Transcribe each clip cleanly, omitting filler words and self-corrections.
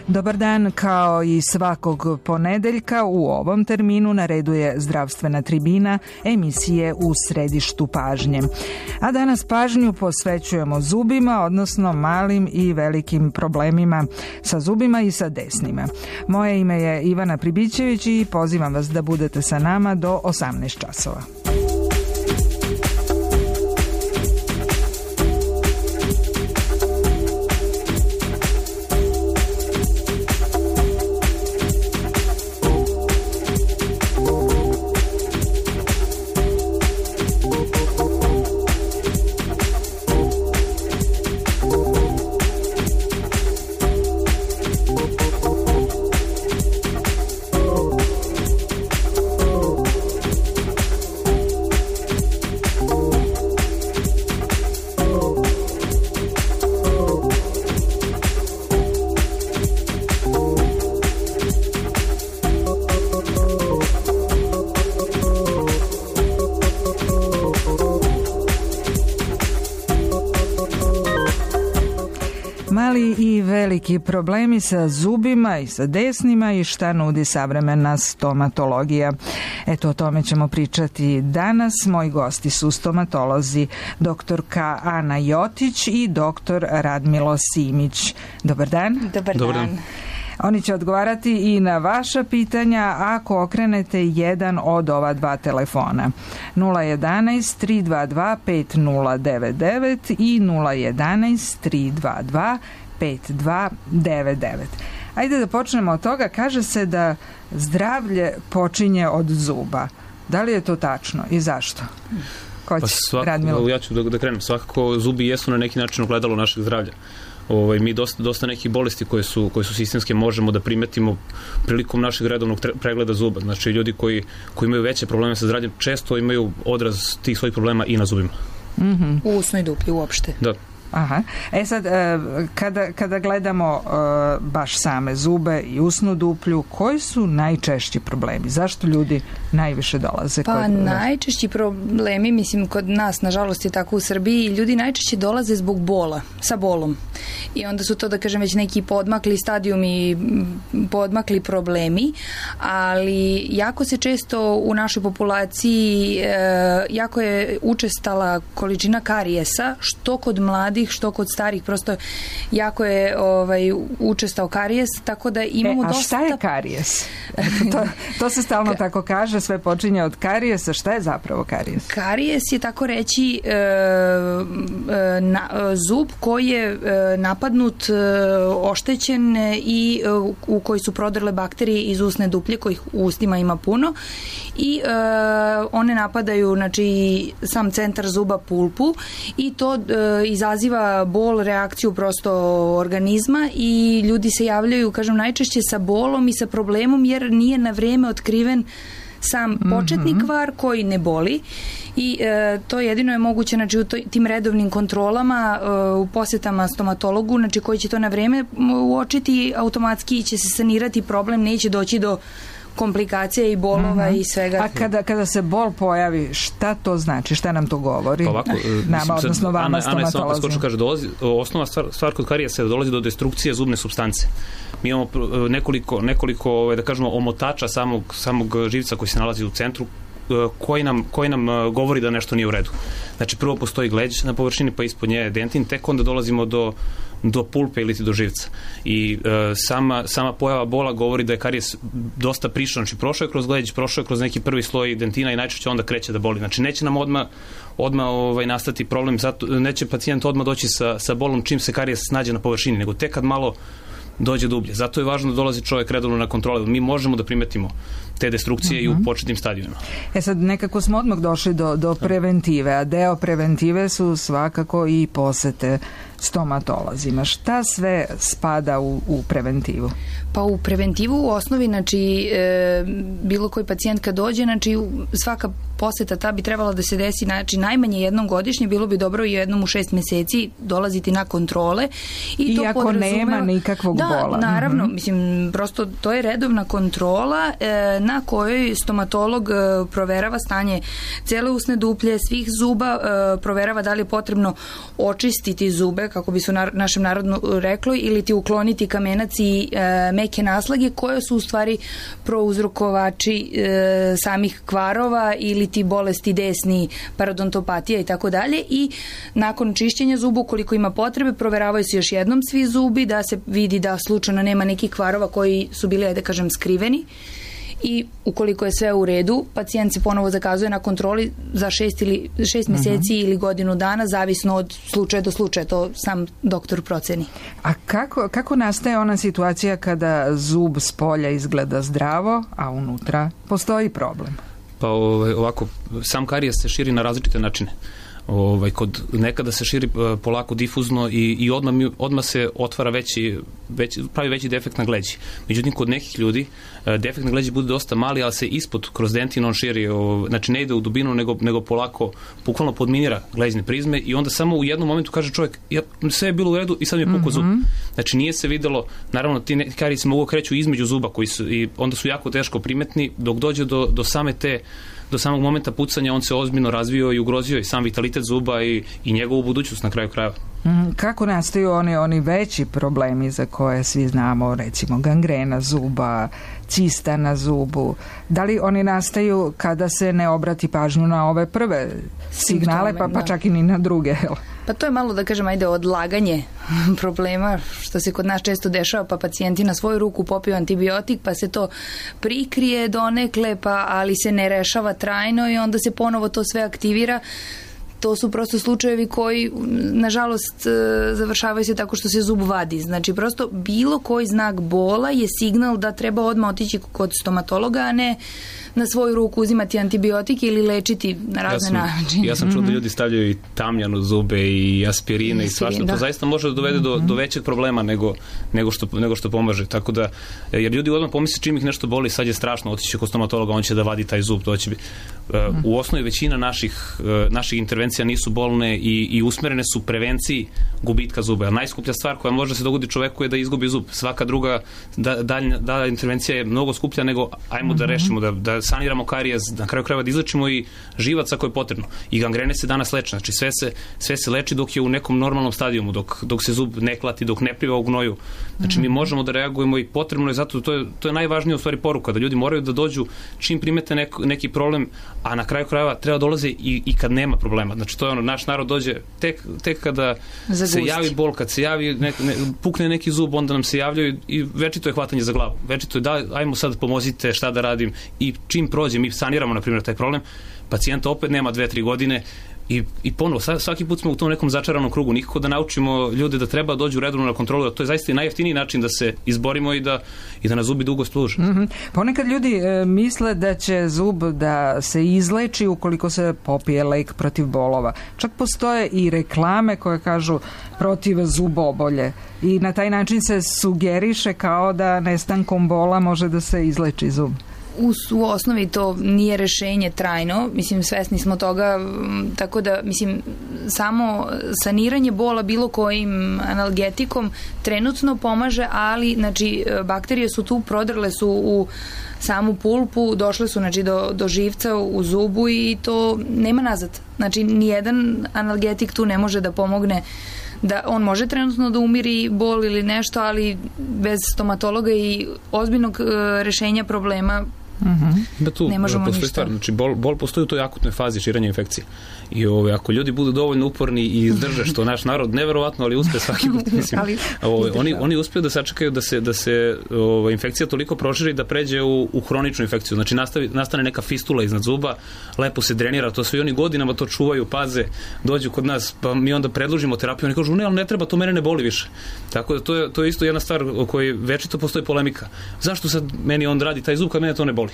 Dobar dan, kao i svakog ponedeljka u ovom terminu na redu je Zdravstvena tribina, emisije u središtu pažnje. A danas pažnju posvećujemo zubima, odnosno malim i velikim problemima sa zubima i sa desnima. Moje ime je Ivana Pribićević i pozivam vas da budete sa nama do 18 časova. Mali i veliki problemi sa zubima i sa desnima i šta nudi savremena stomatologija. Eto, o tome ćemo pričati danas. Moji gosti su stomatolozi doktorka Ana Jotić i doktor Radmilo Simić. Dobar dan. Dobar dan. Oni će odgovarati i na vaša pitanja ako okrenete jedan od ova dva telefona. 011 322 5099 i 011 322 5299. Ajde da počnemo od toga. Kaže se da zdravlje počinje od zuba. Da li je to tačno i zašto? Ja ću da krenem. Svakako zubi jesu na neki način ogledalo našeg zdravlja. Mi dosta nekih bolesti koje su sistemske možemo da primetimo prilikom našeg redovnog pregleda zuba. Znači, ljudi koji imaju veće probleme sa zdravljem često imaju odraz tih svojih problema i na zubima. Mm-hmm. U usnoj duplji uopšte. Da. Aha. Sad, kada gledamo baš same zube i usnu duplju, koji su najčešći problemi? Zašto ljudi najviše dolaze? Najčešći problemi, mislim, kod nas, nažalost je tako u Srbiji, ljudi najčešće dolaze zbog bola, sa bolom. I onda su to, da kažem, već neki podmakli stadijumi, podmakli problemi, ali jako se često u našoj populaciji jako je učestala količina karijesa, što kod mladih, što kod starih, prosto jako je učestao karijes, tako da imamo dosta... A šta je karijes? To se stalno tako kaže, sve počinje od karijesa. Šta je zapravo karijes? Karijes je, tako reći, zub koji je napadnut, oštećen i u koji su prodrle bakterije iz usne duplje, kojih u ustima ima puno, i one napadaju, znači, sam centar zuba, pulpu, i to izaziva bol, reakciju prosto organizma, i ljudi se javljaju, kažem, najčešće sa bolom i sa problemom jer nije na vreme otkriven sam početni kvar koji ne boli, i to jedino je moguće, znači, u tim redovnim kontrolama, u posjetama stomatologu, znači, koji će to na vreme uočiti, automatski će se sanirati problem, neće doći do komplikacija i bolova i svega. A kada se bol pojavi, šta to znači? Šta nam to govori? Ovako, nama, odnosno vama, stomatolozima. Kaže, osnovna stvar kod karijesa je dolazi do destrukcije zubne supstance. Mi imamo nekoliko da kažemo, omotača samog živca koji se nalazi u centru, koji nam govori da nešto nije u redu. Znači, prvo postoji gleđ na površini, pa ispod nje je dentin, tek onda dolazimo do pulpe ili do živca. I sama pojava bola govori da je karijes dosta prišao. Znači, prošao je kroz gleđ, prošao je kroz neki prvi sloj dentina i najčešće onda kreće da boli. Znači, neće nam odmah nastati problem, zato neće pacijent odmah doći sa bolom čim se karijes nađe na površini, nego tek kad malo dođe dublje. Zato je važno da dolazi čovjek redovno na kontrole. Mi možemo da primetimo te destrukcije i u početnim stadijima. Sad nekako smo odmah došli do preventive, a deo preventive su svakako i posete stomatolozima. Šta sve spada u preventivu? Pa u preventivu u osnovi, znači, bilo koji pacijent kad dođe, znači, svaka poseta ta bi trebala da se desi, znači, najmanje jednom godišnje, bilo bi dobro i jednom u 6 meseci dolaziti na kontrole. I to podrazumeva, nema nikakvog bola. Da, naravno, mislim, prosto to je redovna kontrola. na kojoj stomatolog proverava stanje cele usne duplje, svih zuba, proverava da li je potrebno očistiti zube, kako bi se u našem narodu reklo, ili ti ukloniti kamenac i meke naslage koje su u stvari prouzrokovači samih kvarova ili ti bolesti desni, parodontopatija i tako dalje. I nakon čišćenja zuba, ukoliko ima potrebe, proveravaju se još jednom svi zubi da se vidi da slučajno nema nekih kvarova koji su bili, da kažem, skriveni. I ukoliko je sve u redu, pacijent se ponovo zakazuje na kontroli za 6 mjeseci ili godinu dana, zavisno od slučaja do slučaja, to sam doktor proceni. A kako nastaje ona situacija kada zub s polja izgleda zdravo, a unutra postoji problem? Pa ovako, sam karijes se širi na različite načine. Kod nekada se širi polako difuzno i odmah se otvara pravi veći defekt na gleđi. Međutim, kod nekih ljudi defekt na gleđi bude dosta mali, ali se ispod kroz dentin on širi, znači ne ide u dubinu, nego polako, bukvalno podminira gleđne prizme i onda samo u jednom momentu kaže čovjek, sve je bilo u redu i sad mi je pukao zub. Znači nije se videlo, naravno ti kariji se mogu kreću između zuba koji su, i onda su jako teško primetni, dok dođe do samog momenta pucanja on se ozbiljno razvio i ugrozio i sam vitalitet zuba i njegovu budućnost na kraju krajeva. Kako nastaju oni veći problemi za koje svi znamo, recimo gangrena zuba, cista na zubu? Da li oni nastaju kada se ne obrati pažnju na ove prve signale, pa čak i ni na druge? Pa to je malo, da kažem, odlaganje problema, što se kod nas često dešava, pa pacijenti na svoju ruku popiju antibiotik, pa se to prikrije donekle, ali se ne rešava trajno i onda se ponovo to sve aktivira. To su prosto slučajevi koji, nažalost, završavaju se tako što se zub vadi. Znači, prosto bilo koji znak bola je signal da treba odmah otići kod stomatologa, a ne na svoju ruku uzimati antibiotike ili lečiti na razne načine. Ja sam čuo da ljudi stavljaju i tamjan u zube i aspirine i svašta. To zaista može da dovede do većeg problema nego što pomaže. Tako da, jer ljudi odmah pomisle čim ih nešto boli, sad je strašno, otići kod stomatologa, on će da vadi taj zub. To će biti. U osnovi većina naših intervencija nisu bolne i usmerene su prevenciji gubitka zuba. Najskuplja stvar koja može se dogoditi čoveku je da izgubi zub. Svaka druga dalja intervencija je mnogo skuplja nego ajmo da rešimo, da saniramo karijes, na kraju krajeva da izlečimo i živac ako je potrebno. I gangrene se danas leče. Znači sve se leči dok je u nekom normalnom stadijumu, dok se zub ne klati, dok ne pliva u gnoju. Znači mi možemo da reagujemo i potrebno je zato, to je najvažnija u stvari poruka, da ljudi moraju da dođu čim primete neki problem, a na kraju krajeva treba dolaze i kad nema problema. Znači to je naš narod dođe tek kada se javi bol, kad se javi pukne neki zub, onda nam se javljaju i večito je hvatanje za glavu. Večito je ajmo sad pomozite šta da radim i čim prođe, mi saniramo na primjer taj problem, pacijenta opet nema 2-3 godine i ponovo, svaki put smo u tom nekom začaranom krugu, nikako da naučimo ljude da treba dođu redovno na kontrolu, da to je zaista i najjeftiniji način da se izborimo i da nas zubi dugo služe. Ponekad ljudi misle da će zub da se izleči ukoliko se popije lek protiv bolova. Čak postoje i reklame koje kažu protiv zubobolje i na taj način se sugeriše kao da nestankom bola može da se izleči zub. U osnovi to nije rešenje trajno, mislim, svesni smo toga, tako da, mislim, samo saniranje bola bilo kojim analgetikom trenutno pomaže, ali, znači, bakterije su tu, prodrle su u samu pulpu, došle su, znači, do živca u zubu i to nema nazad. Znači, nijedan analgetik tu ne može da pomogne, da on može trenutno da umiri bol ili nešto, ali bez stomatologa i ozbiljnog rešenja problema ne možemo ništa. Stvar, znači bol postoji u toj akutnoj fazi širenja infekcije. I ako ljudi budu dovoljno uporni i izdrže, što naš narod neverovatno, ali uspe svaki put, mislim. Oni uspeju da sačekaju da se infekcija toliko proširi da pređe u hroničnu infekciju. Znači nastane neka fistula iznad zuba, lepo se drenira, to sve i oni godinama to čuvaju, paze, dođu kod nas, pa mi onda predložimo terapiju, oni kažu ne, ali ne treba, to mene ne boli više. Tako da to je isto jedna stvar o kojoj večito postoji polemika. Zašto sad meni on radi taj zub kad mene to ne boli?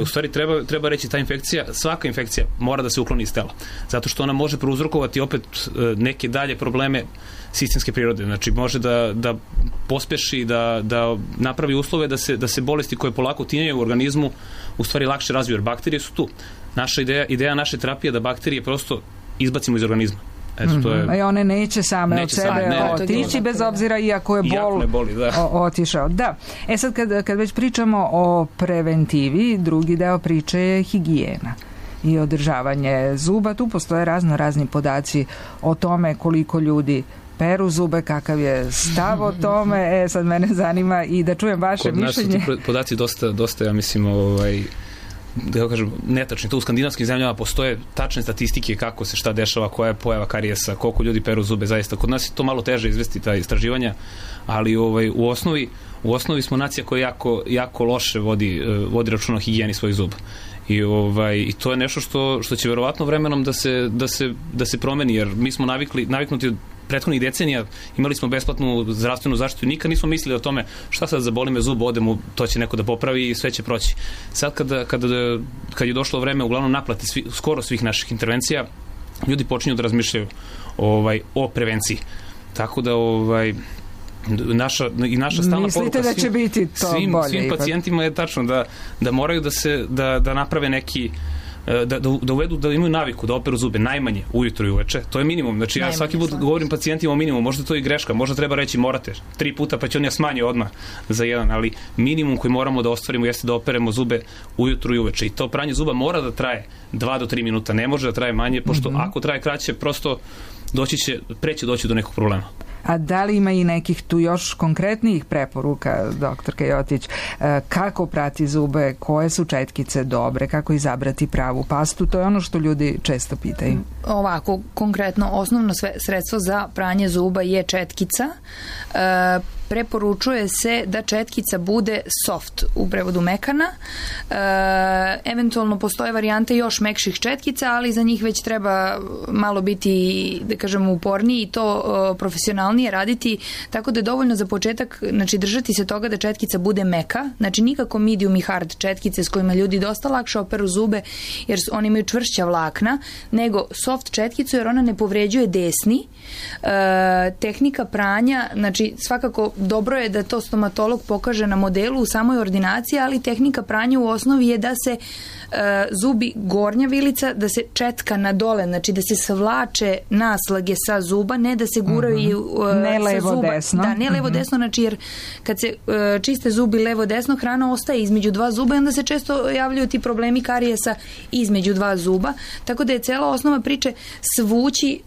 U stvari treba reći, ta infekcija, svaka infekcija mora da se ukloni iz tela. Zato što ona može prouzrokovati opet neke dalje probleme sistemske prirode. Znači može da pospeši, da napravi uslove da se bolesti koje polako tinjaju u organizmu u stvari lakše razviju, jer bakterije su tu. Naša ideja naše terapije je da bakterije prosto izbacimo iz organizma. Eto, to je... I one neće same od sebe otići, bez obzira iako je bol otišao. Da. Sad kad već pričamo o preventivi, drugi deo priče je higijena i održavanje zuba. Tu postoje razni podaci o tome koliko ljudi peru zube, kakav je stav o tome. Sad mene zanima i da čujem vaše mišljenje. Kod nas su ti podaci dosta, ja mislim, da kažem, netačni. To u skandinavskim zemljama postoje tačne statistike kako se šta dešava, koja je pojava karijesa, koliko ljudi peru zube, zaista. Kod nas je to malo teže izvesti, ta istraživanja, ali u osnovi smo nacija koja jako loše vodi računa o higijeni svojih zuba. I to je nešto što će verovatno vremenom da se promeni, jer mi smo naviknuti od prethodnih decenija, imali smo besplatnu zdravstvenu zaštitu i nikad nismo mislili o tome šta sad zaboli me zub, odem, to će neko da popravi i sve će proći. Sad kad je došlo vreme uglavnom naplate skoro svih naših intervencija, ljudi počinju da razmišljaju o prevenciji. Tako da naša stalna mislite da će biti to bolje? Svim pacijentima je tačno da moraju da naprave neki da uvedu, da imaju naviku da operu zube najmanje ujutro i uveče. To je minimum. Znači ja svaki put govorim pacijentima o minimumu, možda to je i greška, možda treba reći morate 3 puta pa će on ja smanji odmah za 1, ali minimum koji moramo da ostvarimo jeste da operemo zube ujutro i uveče. I to pranje zuba mora da traje 2 do 3 minuta, ne može da traje manje, pošto ako traje kraće, prosto preće doći do nekog problema. A da li ima i nekih tu još konkretnijih preporuka, doktorka Jotić, kako prati zube, koje su četkice dobre, kako izabrati pravu pastu? To je ono što ljudi često pitaju. Ovako, konkretno, osnovno sredstvo za pranje zuba je četkica. Preporučuje se da četkica bude soft, u prevodu mekana. Eventualno postoje varijante još mekših četkica, ali za njih već treba malo biti, da kažem, uporniji i to profesionalnije raditi, tako da je dovoljno za početak, znači držati se toga da četkica bude meka, znači nikako medium i hard četkice s kojima ljudi dosta lakše operu zube jer oni imaju čvršća vlakna, nego soft četkicu jer ona ne povređuje desni. Tehnika pranja, znači svakako dobro je da to stomatolog pokaže na modelu u samoj ordinaciji, ali tehnika pranja u osnovi je da se zubi gornja vilica, da se četka na dole, znači da se savlače naslage sa zuba, ne da se guraju ne levo desno. Da, ne levo desno, znači jer kad se čiste zubi levo desno, hrana ostaje između dva zuba i onda se često javljaju ti problemi karijesa između dva zuba, tako da je cela osnova priče svući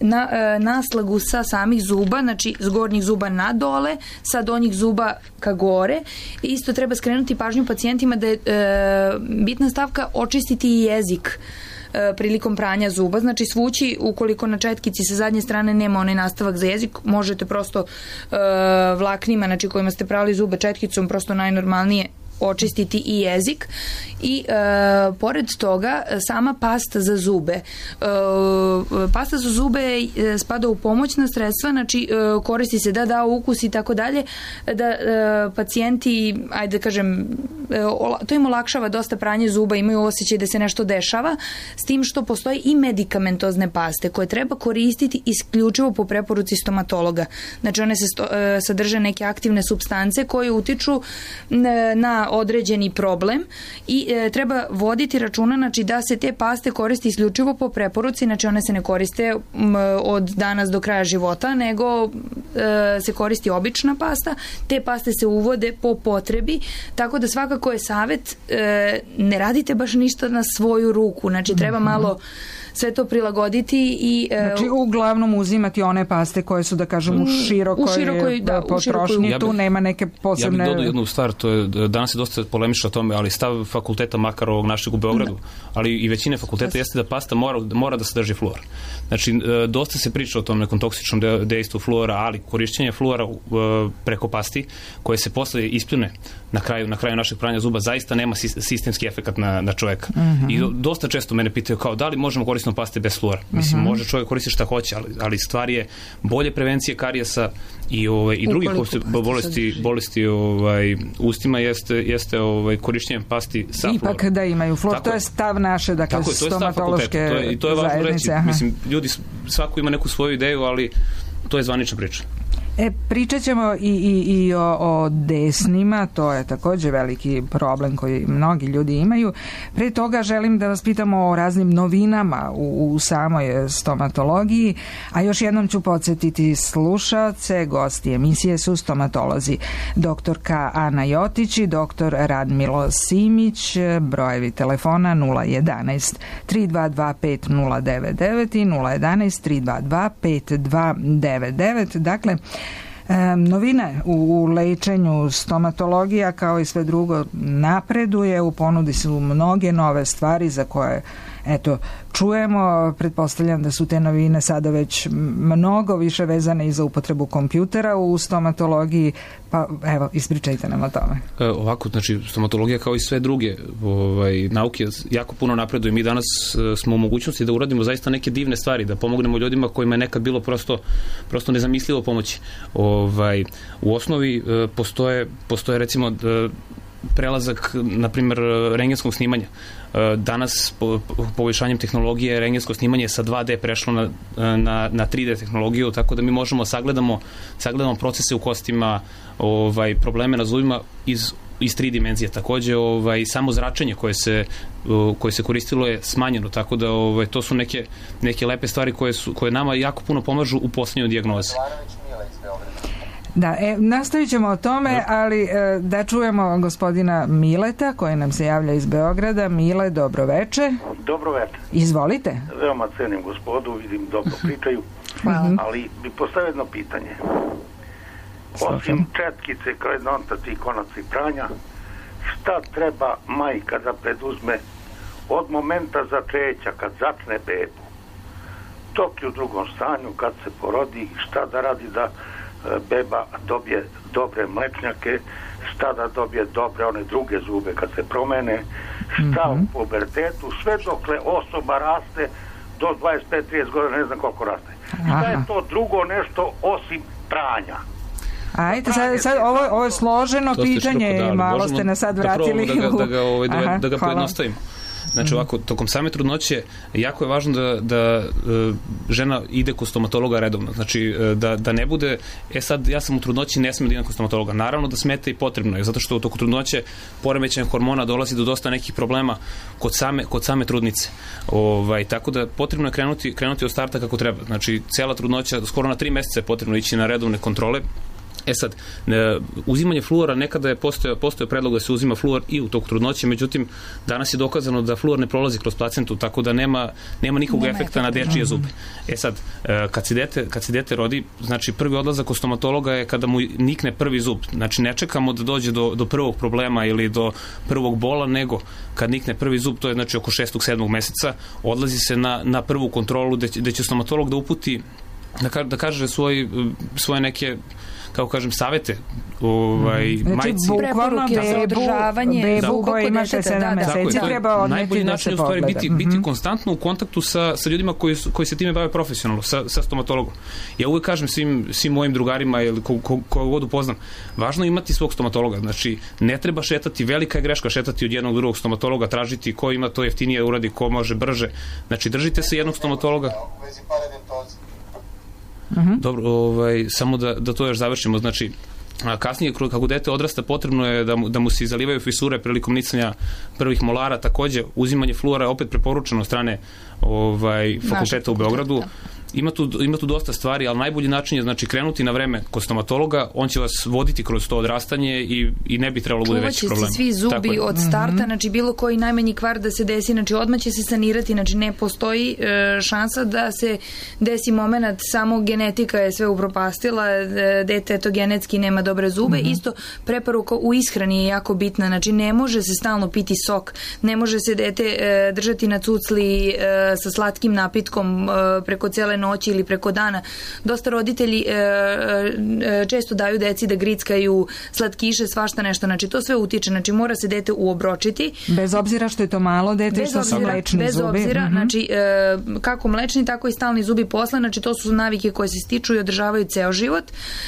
naslagu sa samih zuba, znači s gornjih zuba na dole, sa donjih zuba ka gore. Isto treba skrenuti pažnju pacijentima da je bitna stavka očistiti i jezik prilikom pranja zuba, znači svući ukoliko na četkici sa zadnje strane nema onaj nastavak za jezik, možete prosto vlaknima, znači kojima ste prali zube četkicom, prosto najnormalnije očistiti i jezik i pored toga sama pasta za zube. Pasta za zube spada u pomoćna sredstva, znači koristi se da da ukus i tako dalje, da pacijenti, ajde da kažem, to im olakšava dosta pranje zuba, imaju osjećaj da se nešto dešava, s tim što postoji i medikamentozne paste koje treba koristiti isključivo po preporuci stomatologa. Znači one sadrže neke aktivne supstance koje utiču na određeni problem i treba voditi računa, znači da se te paste koriste isključivo po preporuci, znači one se ne koriste od danas do kraja života, nego se koristi obična pasta. Te paste se uvode po potrebi, tako da svakako je savjet ne radite baš ništa na svoju ruku, znači treba malo sve to prilagoditi i znači uglavnom uzimati one paste koje su, da kažem, u širokoj potrošnji, tu nema neke posebne... Ja bih dodao jednu stvar, to je, danas je dosta polemično o tome, ali stav fakulteta, makar ovog našeg u Beogradu, ali i većine fakulteta jeste da pasta mora da sadrži fluor. Znači, dosta se priča o tom nekom toksičnom dejstvu fluora, ali korišćenje fluora preko pasti, koje se posle ispljune na kraju našeg pranja zuba, zaista nema sistemski efekat na čoveka. I dosta često mene pitaju kao da li možemo koristiti paste bez fluora. Mislim, može čovjek koristiti šta hoće, ali stvar je bolje prevencije karijesa i drugih bolesti ustima jeste korišćenje pasti sa fluorom. Ipak da imaju fluor, to je stav naše, dakle, stomatološke zajednice. I to je važno reći. Mislim, ljudi, svako ima neku svoju ideju, ali to je zvanična priča. Pričat ćemo i o desnima, to je također veliki problem koji mnogi ljudi imaju. Pre toga želim da vas pitamo o raznim novinama u samoj stomatologiji, a još jednom ću podsjetiti slušaoce, gosti emisije su stomatolozi doktorka Ana Jotić i doktor Radmilo Simić, brojevi telefona 011 322 5099 i 011 322 5299. Dakle, novine u lečenju stomatologija kao i sve drugo napreduje, u ponudi su mnoge nove stvari za koje čujemo. Pretpostavljam da su te novine sada već mnogo više vezane i za upotrebu kompjutera u stomatologiji, pa evo, ispričajte nam o tome. Ovako, znači, stomatologija kao i sve druge nauke jako puno napreduje. Mi danas smo u mogućnosti da uradimo zaista neke divne stvari, da pomognemo ljudima kojima je nekad bilo prosto nezamislivo pomoći. U osnovi postoje recimo prelazak, na primjer, rentgenskog snimanja. Danas, poboljšanjem tehnologije, rentgensko snimanje sa 2D prešlo na 3D tehnologiju, tako da mi možemo sagledamo procese u kostima, probleme na zubima iz 3 dimenzije. Takođe, samo zračenje koje se koristilo je smanjeno, tako da to su neke lepe stvari koje nama jako puno pomažu u postavljanju dijagnoze. Da, nastavit ćemo o tome, ali da čujemo gospodina Mileta koji nam se javlja iz Beograda. Mile, dobro veče. Dobro veče. Izvolite. Veoma cenim gospodu, vidim dobro pričaju. Hvala. Ali bi postavio jedno pitanje. Osim četkice, kredontaci i konaci pranja, šta treba majka da preduzme od momenta začeća, kad začne bebu, dok je u drugom stanju, kad se porodi, šta da radi da beba dobije dobre mlečnjake, šta da dobije dobre one druge zube kad se promene, šta u pubertetu, sve dokle osoba raste do 25-30 godina, ne znam koliko raste. Šta je to drugo nešto osim pranja? Ajde, sad ovo je složeno pitanje i malo ste nas sad vratili. Da ga pojednostavimo. Znači ovako, tokom same trudnoće jako je važno da žena ide kod stomatologa redovno. Znači da ne bude, sad ja sam u trudnoći, ne smem da idem kod stomatologa. Naravno da smete i potrebno je, zato što u toku trudnoće poremećajem hormona dolazi do dosta nekih problema kod same trudnice. Tako da potrebno je krenuti od starta kako treba. Znači cijela trudnoća, skoro na 3 mjeseca je potrebno ići na redovne kontrole. Sad, uzimanje fluora, nekada je postojao predlog da se uzima fluor i u toku trudnoće, međutim, danas je dokazano da fluor ne prolazi kroz placentu, tako da nema nikog efekta na dečije zube. Sad, kad se dete rodi, znači prvi odlazak kod stomatologa je kada mu nikne prvi zub. Znači, ne čekamo da dođe do prvog problema ili do prvog bola, nego kad nikne prvi zub, to je znači oko 6. 7. meseca, odlazi se na prvu kontrolu gde će stomatolog da uputi, da kaže svoje neke, kako kažem, savete majci. Preporuke za održavanje bebu koja ima 7 meseci treba odneti da se pogleda. Biti konstantno u kontaktu sa ljudima koji se time bave profesionalno, sa stomatologom. Ja uvek kažem svim mojim drugarima ili koju god upoznam, važno je imati svog stomatologa. Znači, ne treba šetati, velika je greška šetati od jednog drugog stomatologa, tražiti ko ima to jeftinije uradi, ko može brže. Znači, držite se jednog stomatologa. Dobro, samo da to još završimo. Znači, kasnije, kako dete odrasta, potrebno je da mu se zalivaju fisure prilikom nicanja prvih molara. Takođe, uzimanje fluora je opet preporučeno od strane fakulteta u Beogradu. Ima tu dosta stvari, ali najbolji način je znači krenuti na vreme kod stomatologa, on će vas voditi kroz to odrastanje i ne bi trebalo bude veći problem. Čuvaće se svi zubi od starta, znači bilo koji najmanji kvar da se desi, znači odmah će se sanirati, znači ne postoji šansa da se desi moment samo genetika je sve upropastila, dete to genetski nema dobre zube. Isto preporuka u ishrani je jako bitna, znači ne može se stalno piti sok, ne može se dete držati na cucli sa slatkim napitkom preko cele noći ili preko dana. Dosta roditelji često daju deci da grickaju slatkiše, svašta nešto. Znači, to sve utiče. Znači, mora se dete uobročiti. Bez obzira što je to malo dete, što su mlečni zubi. Bez obzira, znači, kako mlečni, tako i stalni zubi posle. Znači, to su navike koje se stiču i održavaju ceo život.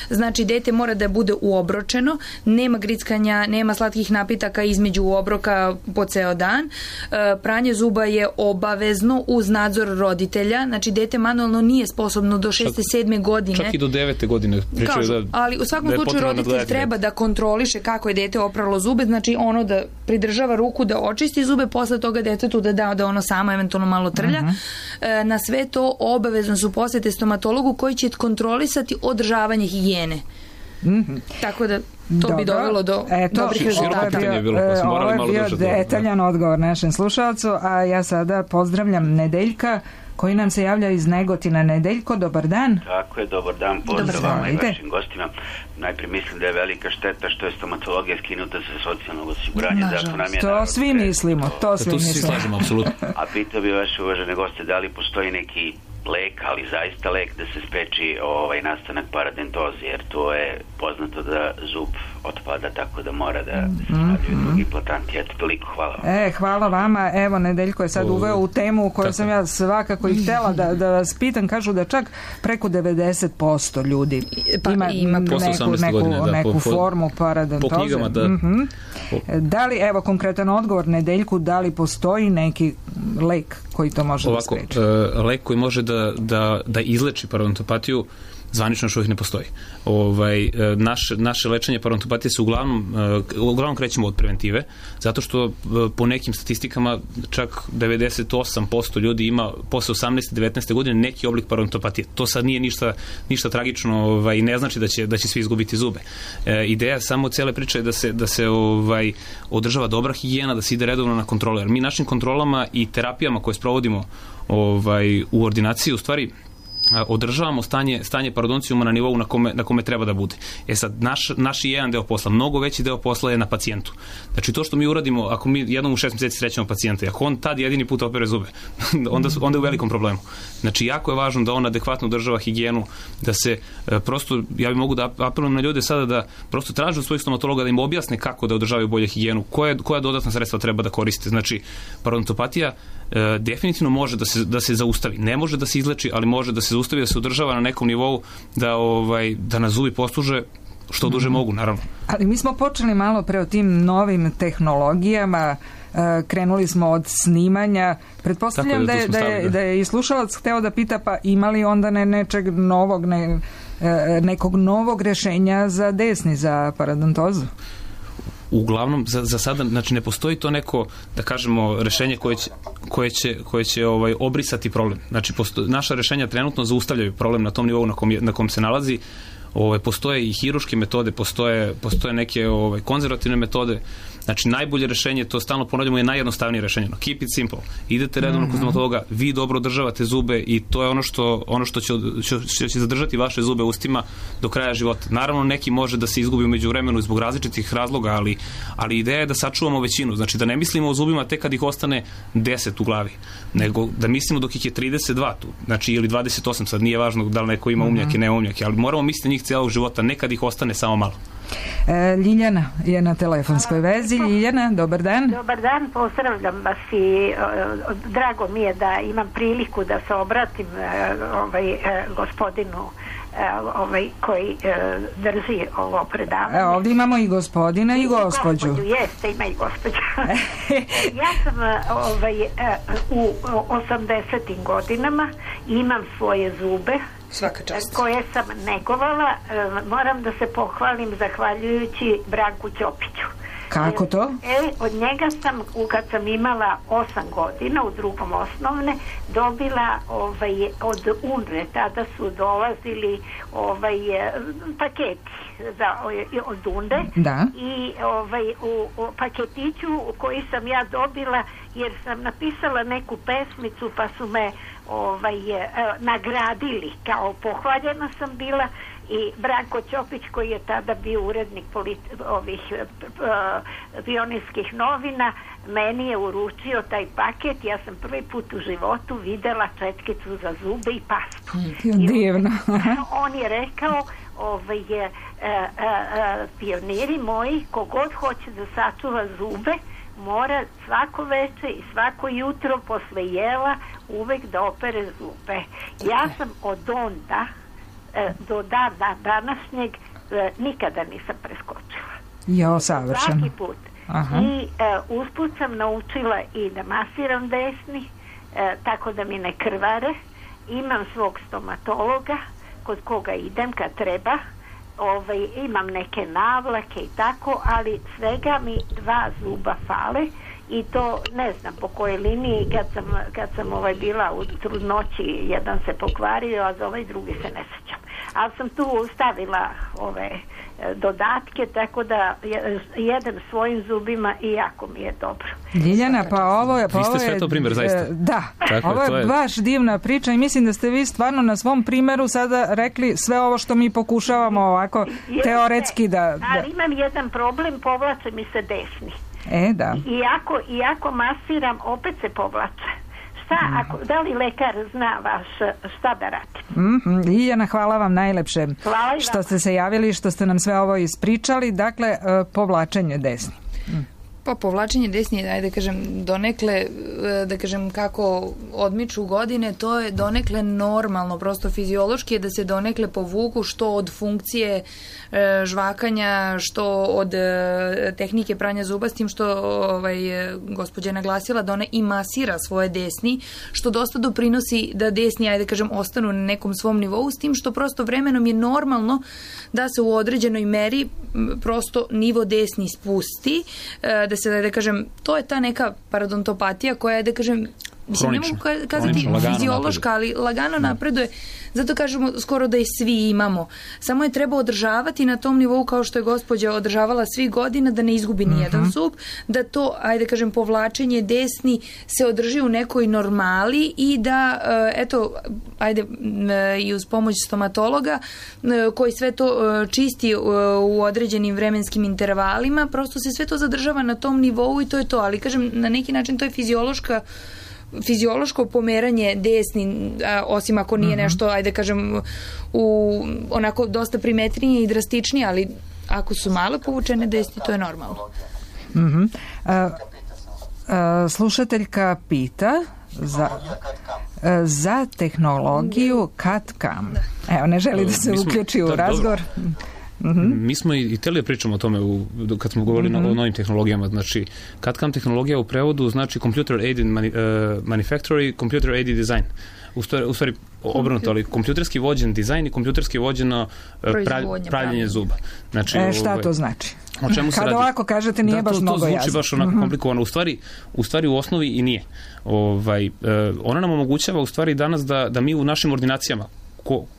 Znači, dete mora da bude uobročeno. Nema grickanja, nema slatkih napitaka između obroka po ceo dan. Pranje zuba je obavezno uz nadzor roditelja. Znači, dete manualno jednostavno nije sposobno do 6. 7. godine. Čak i do 9. godine. Kažu, ali u svakom slučaju roditelj treba da kontroliše kako je dete opralo zube, znači ono da pridržava ruku da očisti zube, posle toga detetu da ono samo eventualno malo trlja. Na sve to obavezno su posete stomatologu koji će kontrolisati održavanje higijene. Tako da to bi dovelo do dobrih rezultata. Ovo je bio detaljan odgovor našem slušalcu, a ja sada pozdravljam Nedeljka koji nam se javlja iz Negotina. Nedeljko, dobar dan. Tako je, dobar dan, pozdrav vama i vašim gostima. Najprije mislim da je velika šteta što je stomatologija skinuta sa socijalnog osiguranja. To svi mislimo, to svi slažemo, apsolutno. A pitao bi vaše uvažene goste da li postoji neki lek, ali zaista lek da se spreči nastanak paradentoze, jer to je poznato da zub otpada, tako da mora da se stavljaju drugi implantanti. Eto, toliko, hvala vam. Hvala vama. Evo, Nedeljko je sad uveo u temu koju sam ja svakako i htjela da vas pitam. Kažu da čak preko 90% ljudi ima neku formu paradentoze. Po knjigama, da. Da li, evo, konkretan odgovor Nedeljku, da li postoji neki lek koji to može da spreči? Lek koji može da izleči parodontopatiju zvanično još uvijek ne postoji. Naše lečenje parodontopatije se uglavnom krećemo od preventive, zato što po nekim statistikama čak 98% ljudi ima posle 18. 19. godine neki oblik parodontopatije. To sad nije ništa tragično i ne znači da će svi izgubiti zube. Ideja samo cele priče je da se održava dobra higijena, da se ide redovno na kontrole. Jer mi našim kontrolama i terapijama koje sprovodimo u ordinaciji u stvari održavamo stanje parodoncijuma na nivou na kome treba da bude. Sad, naš jedan deo posla, mnogo veći deo posla je na pacijentu. Znači, to što mi uradimo, ako mi jednom u 6 mjeseci srećemo pacijenta, ako on tad jedini put opere zube, onda je u velikom problemu. Znači, jako je važno da on adekvatno održava higijenu, da se prosto, ja bih mogu da apelujem na ljude sada da prosto traže od svojih stomatologa da im objasne kako da održavaju bolje higijenu, koja dodatna sredstva treba da koriste. Znači, parodontopatija definitivno može da se zaustavi. Ne može da se izleči, ali može da se zaustavi, da se održava na nekom nivou da nas zubi posluže što duže mogu, naravno. Ali mi smo počeli malo pre o tim novim tehnologijama, krenuli smo od snimanja. Pretpostavljam da je i slušalac hteo da pita, pa ima li onda nečeg novog, nekog novog rešenja za desni, za parodontozu? Uglavnom, za sada, znači ne postoji to neko, da kažemo, rešenje koje će obrisati problem. Znači, naša rešenja trenutno zaustavljaju problem na tom nivou na kom se nalazi. Postoje i hiruške metode, postoje neke konzervativne metode. Znači, najbolje rešenje, to stalno ponavljamo, je najjednostavnije rešenje. Keep it simple. Idete redovno kod stomatologa, vi dobro održavate zube i to je ono što će zadržati vaše zube ustima do kraja života. Naravno, neki može da se izgubi umeđu vremenu zbog različitih razloga, ali ideja je da sačuvamo većinu. Znači, da ne mislimo o zubima tek kad ih ostane 10 u glavi, nego da mislimo dok ih je 32 tu. Znači, ili 28, sad nije važno da li neko ima umnjake, ne umnjake, ali moramo misliti njih cijelog života, nekad ih ostane samo malo. Ljiljana je na telefonskoj vezi. Ljiljana, dobar dan. Dobar dan, pozdravljam vas i drago mi je da imam priliku da se obratim gospodinu koji drži ovo predavanje. Ovdje imamo i gospodina i gospođu. Jeste, ima i gospođu. Ja sam u 80. godinama, imam svoje zube koje sam negovala. Moram da se pohvalim zahvaljujući Branku Ćopiću. Kako to? Od njega sam, kad sam imala 8 godina u drugom osnovne, dobila od UNRE, tada su dolazili paketi od UNRE. Da. I u paketiću koji sam ja dobila, jer sam napisala neku pesmicu, pa su me nagradili, kao pohvaljena sam bila, i Branko Ćopić, koji je tada bio urednik pionirskih novina, meni je uručio taj paket. Ja sam prvi put u životu videla četkicu za zube i pastu. Divno. On je rekao, pioniri moji, kogod hoće da sačuva zube, mora svako veče i svako jutro posle jela uvek da opere zube. Ja sam od onda do dana današnjeg nikada nisam preskočila. Jo, savršeno. Svaki put. I usput sam naučila i da masiram desni, tako da mi ne krvare, imam svog stomatologa kod koga idem kad treba, imam neke navlake i tako, ali svega mi 2 zuba fale i to ne znam po kojoj liniji. Kad sam bila u trudnoći, jedan se pokvario, a za ovaj drugi se ne sjećam. Ali sam tu stavila dodatke, tako da jedem svojim zubima i jako mi je dobro. Ljiljana, pa ovo je... Vi ste sve to primjer, zaista. Da, ovo je baš divna priča i mislim da ste vi stvarno na svom primjeru sada rekli sve ovo što mi pokušavamo ovako teoretski da... Ali imam jedan problem, povlače mi se desni. Da. Iako masiram, opet se povlače. Da li lekar zna šta da radi? Ljiljana, hvala vam najlepše što ste se javili i što ste nam sve ovo ispričali. Dakle, povlačenje desni. Pa povlačenje desni, ajde da kažem, donekle, da kažem kako odmiču godine, to je donekle normalno, prosto fiziološki je da se donekle povuku što od funkcije žvakanja, što od tehnike pranja zuba, s tim što gospođa je naglasila da ona i masira svoje desni, što dosta doprinosi da desni, ajde da kažem, ostanu na nekom svom nivou, s tim što prosto vremenom je normalno da se u određenoj meri prosto nivo desni spusti, da se, da kažem, to je ta neka parodontopatija koja je, da kažem, mislim, ne mogu kazati fiziološka, ali lagano napreduje. Zato kažemo skoro da i svi imamo. Samo je treba održavati na tom nivou kao što je gospođa održavala svih godina, da ne izgubi nijedan zub, da to, ajde kažem, povlačenje desni se održi u nekoj normali i da, eto, ajde, i uz pomoć stomatologa koji sve to čisti u određenim vremenskim intervalima, prosto se sve to zadržava na tom nivou i to je to. Ali, kažem, na neki način to je fiziološko pomeranje desni, osim ako nije nešto, ajde kažem, onako dosta primetnije i drastičnije, ali ako su malo povučene desni, to je normalno. Slušateljka pita za tehnologiju CAD/CAM. Evo, ne želi da se uključi u razgovor. Mi smo i htjeli da pričamo o tome kad smo govorili o novim tehnologijama. Znači, CAD/CAM tehnologija u prevodu znači Computer Aided Manufacturing, Computer Aided Design. U stvari obrnuto, ali kompjuterski vođen dizajn i kompjuterski vođeno pravljenje zuba. Znači, šta to znači? Kada ovako kažete nije baš mnogo jasno. To zvuči baš onako komplikovano. U stvari u osnovi i nije. Ona nam omogućava u stvari danas da mi u našim ordinacijama,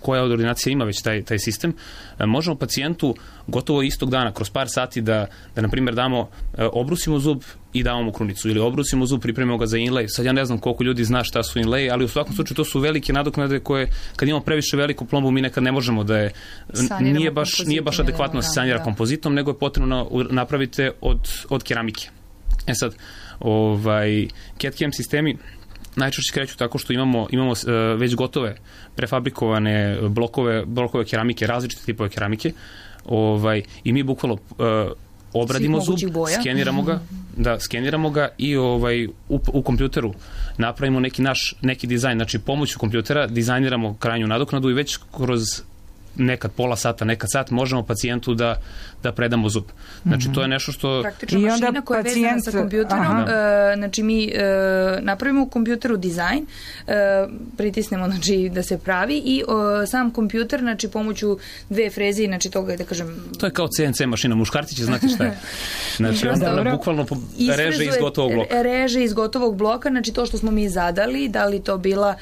koja od ordinacija ima već taj sistem, možemo pacijentu gotovo istog dana, kroz par sati da na primjer obrusimo zub i damo mu krunicu, ili obrusimo zub, pripremimo ga za inlay. Sad ja ne znam koliko ljudi zna šta su inlay, ali u svakom slučaju to su velike nadoknade koje, kad imamo previše veliku plombu, mi nekad ne možemo da je, nije baš adekvatno se sanira kompozitom, nego je potrebno napraviti od keramike. Sad, CAD/CAM sistemi najčešće kreću tako što imamo već gotove prefabrikovane blokove keramike, različite tipove keramike, i mi bukvalno obradimo zub, skeniramo ga i u kompjuteru napravimo neki dizajn, znači pomoću kompjutera dizajniramo krajnju nadoknadu i već kroz nekad pola sata, nekad sat možemo pacijentu da predamo zub. Znači to je nešto što... Praktično mašina koja je vezana sa kompjuterom, znači mi napravimo u kompjuteru dizajn, pritisnemo znači da se pravi i sam kompjuter, znači pomoću 2 freze, znači toga da kažem... To je kao CNC mašina, muškarci će znati šta je. Znači onda bukvalno reže iz gotovog bloka. Reže iz gotovog bloka, znači to što smo mi zadali, da li to bila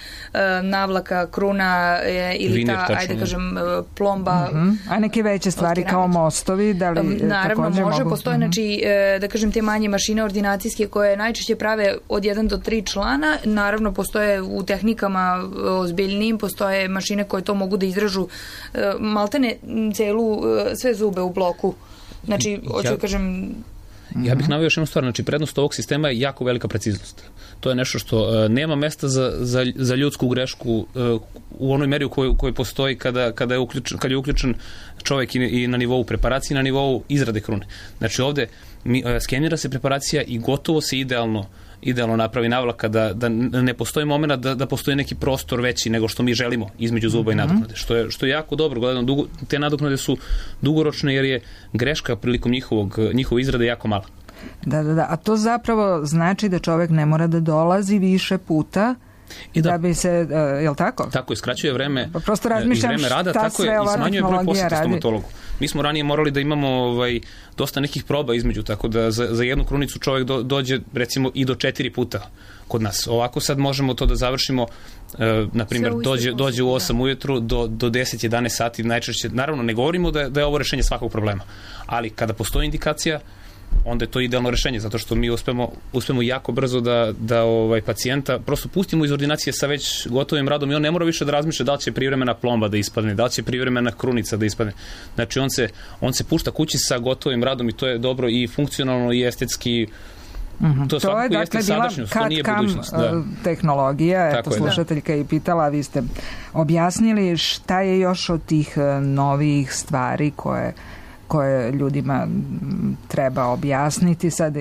navlaka, kruna ili ta, ajde kažem, plomba. A neke veće stvari kao mostovi, da li naravno može, postoje znači, da kažem, te manje mašine ordinacijske koje najčešće prave od 1 do 3 člana, naravno postoje u tehnikama ozbiljnijim, postoje mašine koje to mogu da izražu maltene sve zube u bloku. Znači, hoću da kažem... Ja bih naveo još jednu stvar, znači prednost ovog sistema je jako velika preciznost. To je nešto što nema mesta za ljudsku grešku u onoj meri u kojoj postoji kad je uključen čovjek i na nivou preparacije i na nivou izrade krune. Znači ovdje skenira se preparacija i gotovo se idealno napravi navlaka, da ne postoji moment da postoji neki prostor veći nego što mi želimo između zuba i nadoknade. Što je jako dobro. Gledano, te nadoknade su dugoročne jer je greška prilikom njihove izrade jako mala. Da. A to zapravo znači da čovjek ne mora da dolazi više puta da bi se, je li tako? Tako je, skraćuje vreme, prosto razmišljam vreme rada, šta tako je, sve i ova smanjuje broj poseta tehnologija radi. stomatologu. Mi smo ranije morali da imamo dosta nekih proba između, tako da za jednu krunicu čovjek dođe recimo i do 4 puta kod nas. Ovako sad možemo to da završimo, na primjer, dođe u 8 ujutru do 10-11 sati najčešće. Naravno, ne govorimo da je ovo rešenje svakog problema, ali kada postoji indikacija, onda je to idealno rešenje, zato što mi uspemo jako brzo da pacijenta prosto pustimo iz ordinacije sa već gotovim radom i on ne mora više da razmišlja da li će privremena plomba da ispadne, da li će privremena krunica da ispadne. Znači, on se pušta kući sa gotovim radom i to je dobro i funkcionalno i estetski. To svakako jeste sadašnjost, to nije budućnost. Tehnologija, eto, slušateljka je pitala, vi ste objasnili šta je još od tih novih stvari koje ljudima treba objasniti. Sad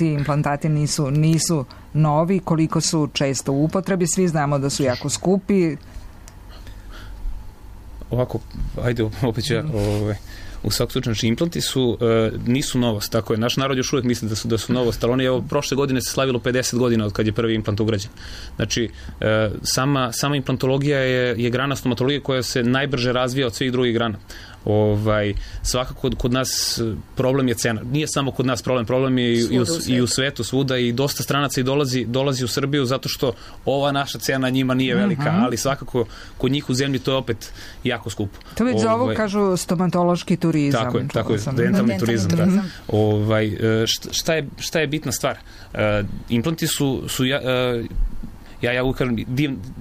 implantati nisu novi, koliko su često u upotrebi, svi znamo da su jako skupi. Ovako, ajde, opet ću u svakom slučaju, znači implanti nisu novost, tako je. Naš narod još uvijek misli da su novost, ali prošle godine se slavilo 50 godina od kad je prvi implant ugrađen. Znači, sama implantologija je grana stomatologije koja se najbrže razvija od svih drugih grana. Svakako kod nas problem je cena. Nije samo kod nas problem je i u svetu svuda i dosta stranaca i dolazi u Srbiju zato što ova naša cena njima nije velika, ali svakako kod njih u zemlji to je opet jako skupo. To već zovu, kažu, stomatološki turizam. Tako je, dentalni turizam. Šta je bitna stvar? Implanti su ja uvijek kažem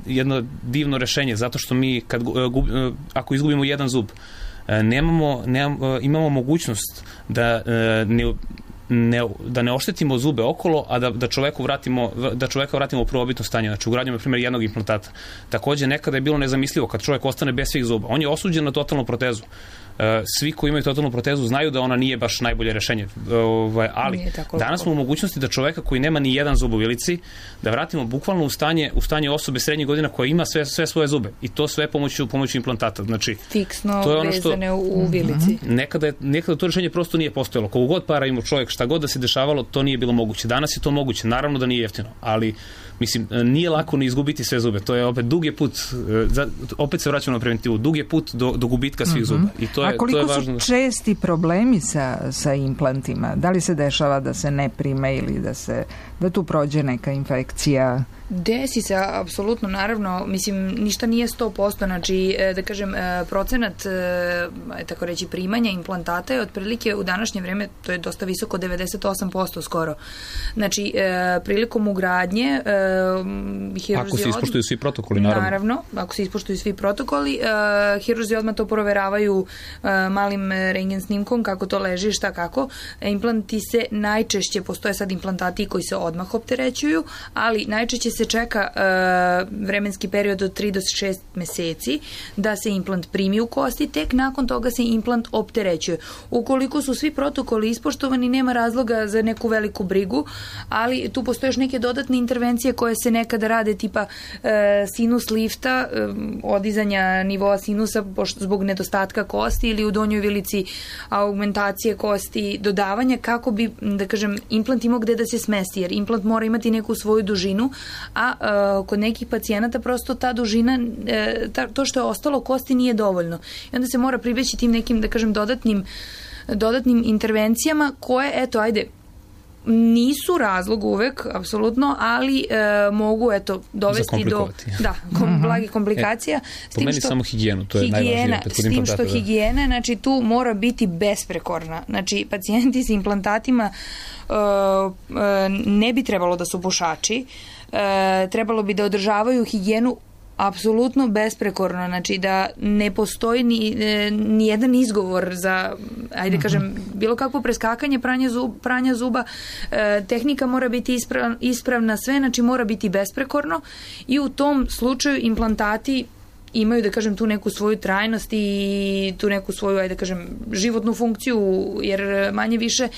jedno divno rešenje, zato što mi ako izgubimo jedan zub, imamo mogućnost da ne oštetimo zube okolo, a da čoveka vratimo u prvobitno stanje. Znači, ugradnjom, na primjer, jednog implantata. Također, nekada je bilo nezamislivo kad čovjek ostane bez svih zuba. On je osuđen na totalnu protezu. Svi koji imaju totalnu protezu znaju da ona nije baš najbolje rešenje. Ali danas smo u mogućnosti da čoveka koji nema ni jedan zub u vilici, da vratimo bukvalno u stanje osobe srednjih godina koja ima sve svoje zube. I to sve pomoću implantata. Znači, fiksno vezane u vilici. Nekada to rešenje prosto nije postojalo. Koliko god para ima čovjek, šta god da se dešavalo, to nije bilo moguće. Danas je to moguće. Naravno da nije jeftino, ali mislim, nije lako ni izgubiti sve zube. To je opet dug je put, opet se vraćamo na preventivu, dug je put do gubitka svih zuba. A koliko su česti problemi sa implantima? Da li se dešava da se ne prime ili da tu prođe neka infekcija? Desi se, apsolutno, naravno, mislim, ništa nije 100%, znači, da kažem, procenat, tako reći, primanja implantata je otprilike u današnje vreme, to je dosta visoko, 98% skoro. Znači, prilikom ugradnje, ako se ispoštuju svi protokoli, naravno. Naravno, ako se ispoštuju svi protokoli, hirurzi odmah to proveravaju malim rentgen snimkom, kako to leži, šta kako. Implanti se najčešće, postoje sad implantati koji se odmah opterećuju, ali najčešće se čeka vremenski period od 3 do 6 meseci da se implant primi u kosti, tek nakon toga se implant opterećuje. Ukoliko su svi protokoli ispoštovani, nema razloga za neku veliku brigu, ali tu postoje još neke dodatne intervencije koje se nekada rade, tipa sinus lifta, odizanja nivoa sinusa zbog nedostatka kosti ili u donjoj vilici augmentacije kosti, dodavanja kako bi, da kažem, implant imao gde da se smesti, jer implant mora imati neku svoju dužinu, a kod nekih pacijenata prosto ta dužina, to što je ostalo kosti nije dovoljno. I onda se mora pribeći tim nekim, da kažem, dodatnim intervencijama koje, eto, ajde, nisu razlog uvek, apsolutno, ali mogu, eto, dovesti do blagih komplikacija. Po meni samo higijenu, to je najvažnije. S tim što higijena, znači, tu mora biti besprekorna. Znači, pacijenti s implantatima ne bi trebalo da su pušači, trebalo bi da održavaju higijenu apsolutno besprekorno, znači da ne postoji ni jedan izgovor za, ajde kažem, bilo kakvo preskakanje pranja zuba, tehnika mora biti ispravna, sve, znači mora biti besprekorno i u tom slučaju implantati imaju, da kažem, tu neku svoju trajnost i tu neku svoju, ajde da kažem, životnu funkciju, jer manje više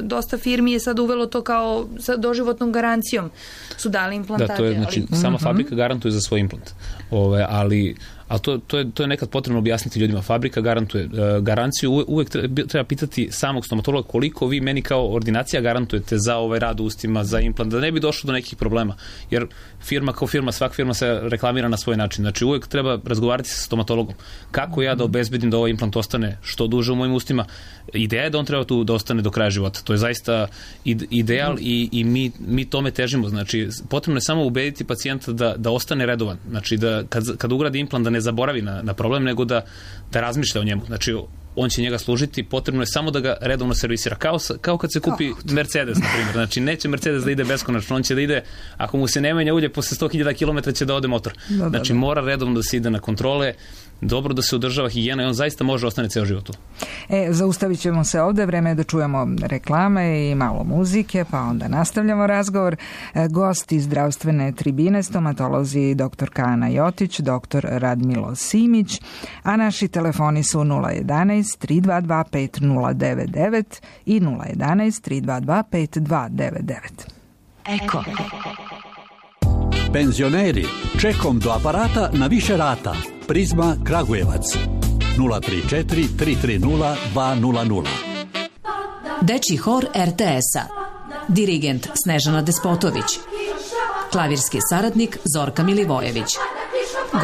dosta firmi je sad uvelo to kao sa doživotnom garancijom su dali implantate. Da, to je, znači, sama fabrika garantuje za svoj implant. ali to je nekad potrebno objasniti ljudima. Fabrika garantuje garanciju, uvek treba pitati samog stomatologa koliko vi meni kao ordinacija garantujete za ovaj rad u ustima, za implant, da ne bi došlo do nekih problema, jer firma kao firma, svaka firma se reklamira na svoj način. Znači uvek treba razgovarati sa stomatologom. Kako ja da obezbedim da ovaj implant ostane što duže u mojim ustima? Ideja je da on treba tu da ostane do kraja života. To je zaista ideal i mi tome težimo. Znači, potrebno je samo ubediti pacijenta da ostane redovan. Znači, da kad ugradi implant da ne zaboravi na problem, nego da razmišlja o njemu. Znači, on će njega služiti, potrebno je samo da ga redovno servisira. Kao kad se kupi Mercedes, na primjer. Znači, neće Mercedes da ide beskonačno, on će da ide, ako mu se ne menja ulje, posle 100.000 km će da ode motor. Znači, mora redovno da se ide na kontrole, dobro da se održava higijena i on zaista može ostane ceo život tu. Zaustavit ćemo se ovde, vreme je da čujemo reklame i malo muzike, pa onda nastavljamo razgovor. Gosti zdravstvene tribine, stomatolozi dr. Ana Jotić, dr. Radmilo Simić, a naši telefoni su 011 322 5099 i 011 322 5299. Eko. Penzioneri, čekom do aparata na više rata. Prizma Kragujevac 034 330 200. Dečji hor RTS-a. Dirigent Snežana Despotović. Klavirski saradnik Zorka Milivojević.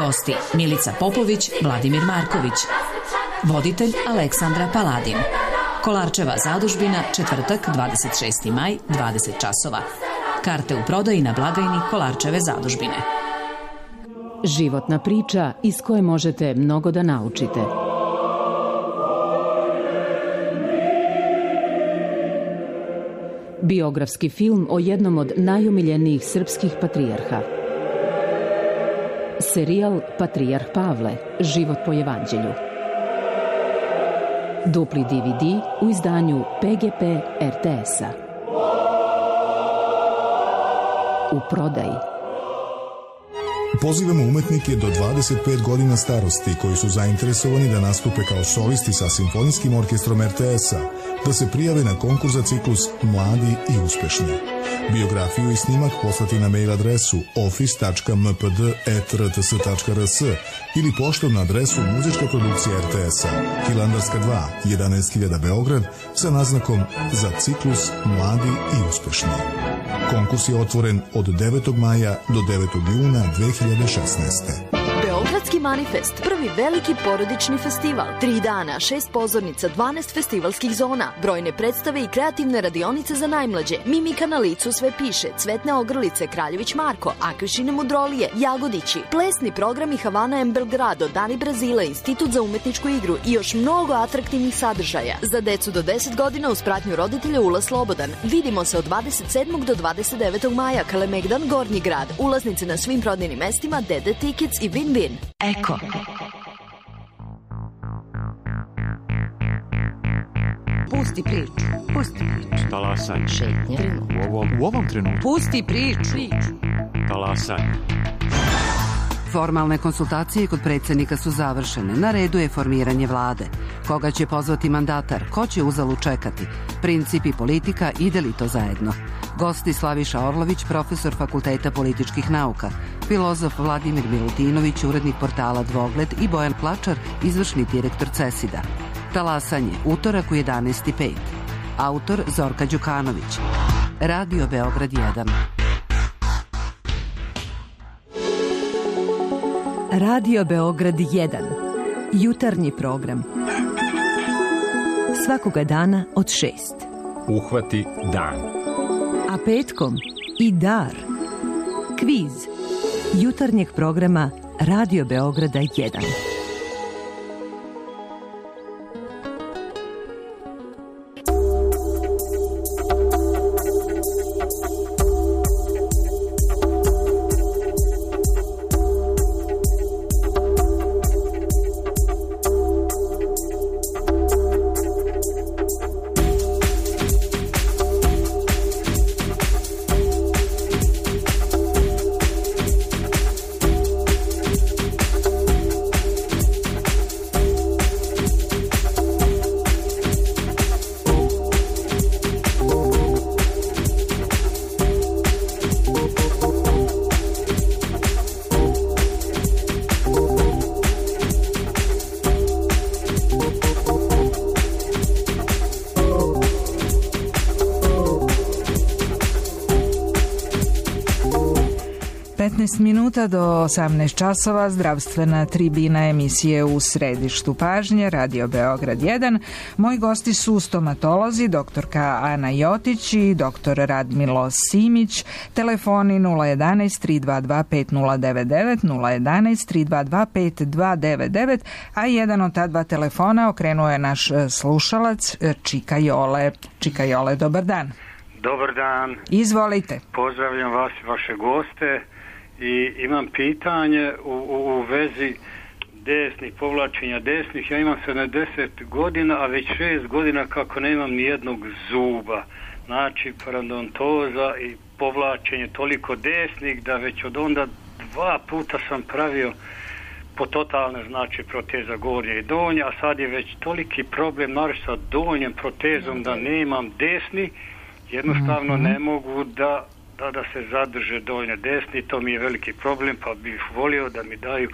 Gosti Milica Popović, Vladimir Marković. Voditelj Aleksandra Paladin. Kolarčeva zadužbina, četvrtak, 26. maj, 20 časova. Karte u prodaji na blagajni Kolarčeve zadužbine. Životna priča iz koje možete mnogo da naučite. Biografski film o jednom od najomiljenijih srpskih patrijarha. Serijal Patrijarh Pavle, život po evanđelju. Dupli DVD u izdanju PGP RTS-a. U prodaji. Pozivamo umetnike do 25 godina starosti koji su zainteresovani da nastupe kao solisti sa Simfonijskim orkestrom RTS-a, da se prijave na konkurs za ciklus Mladi i uspešni. Biografiju i snimak poslati na mail adresu office.mpd@rts.rs ili poštom na adresu Muzička produkcija RTS-a, Hilandarska 2, 11.000 Beograd, sa naznakom za ciklus Mladi i uspešni. Konkurs je otvoren od 9. maja do 9. juna 2016. Beogradski manifest, prvi veliki porodični festival. 3 dana, 6 pozornica, 12 festivalskih zona, brojne predstave i kreativne radionice za najmlađe. Mimika na licu sve piše, Cvetne ogrlice, Kraljević Marko, Akvišine mudrolije, Jagodići, plesni programi Havana M. Belgrado, Dani Brazila, Institut za umetničku igru i još mnogo atraktivnih sadržaja. Za decu do 10 godina uz pratnju roditelja ulaz slobodan. Vidimo se od 27. do 29. maja, Kalemegdan, Gornji grad. Ulaznice na svim prodajnim mestima, DD Tickets i Win-Win. Eko. Pusti priču. Pusti priču. Talasanje. Šetnje. U ovom trenutku. Pusti priču. Talasanje. Formalne konsultacije kod predsjednika su završene. Na redu je formiranje vlade. Koga će pozvati mandatar? Ko će uzalu čekati? Princip i politika, ide li to zajedno? Gosti Slaviša Orlović, profesor Fakulteta političkih nauka, filozof Vladimir Milutinović, urednik portala Dvogled i Bojan Klačar, izvršni direktor CESID-a. Talasanje, utorak u 11:05. Autor Zorka Đukanović. Radio Beograd 1. Radio Beograd 1. Jutarnji program. Svakoga dana od 6. Uhvati dan. A petkom i dar. Kviz. Jutarnjeg programa Radio Beograda 1. 19 minuta do 18 časova, zdravstvena tribina emisije U središtu pažnje, Radio Beograd 1. Moji gosti su stomatolozi, doktorka Ana Jotić i doktor Radmilo Simić. Telefoni 011 322 5099, 011 322 5299, a jedan od ta dva telefona okrenuo je naš slušalac Čika Jole. Čika Jole, dobar dan. Dobar dan. Izvolite. Pozdravljam vas i vaše goste i imam pitanje u vezi desnih, povlačenja desnih. Ja imam 70 godina, a već 6 godina kako nemam ni jednog zuba. Znači, parodontoza i povlačenje toliko desnih da već od onda 2 puta sam pravio po totalne, znači proteza gornje i donje, a sad je već toliki problem naravno sa donjem protezom da nemam desni. Jednostavno ne mogu da se zadrže donje desni, to mi je veliki problem, pa bih volio da mi daju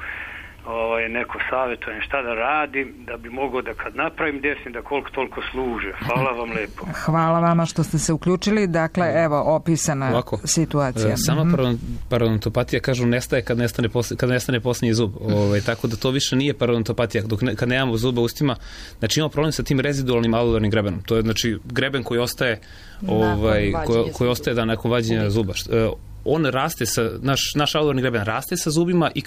neko savjetovanje šta da radim, da bi mogao da kad napravim desni da koliko toliko služe. Hvala vam lepo. Hvala vama što ste se uključili. Dakle, evo, opisana situacija. Sama parodontopatija, kažu, nestaje kad nestane posljednji zub. Tako da to više nije parodontopatija. Kad nemamo zuba u ustima, znači imamo problem sa tim rezidualnim alveolarnim grebenom. To je znači greben koji ostaje nakon vađenja zuba. On raste naš alveolarni greben raste sa zubima i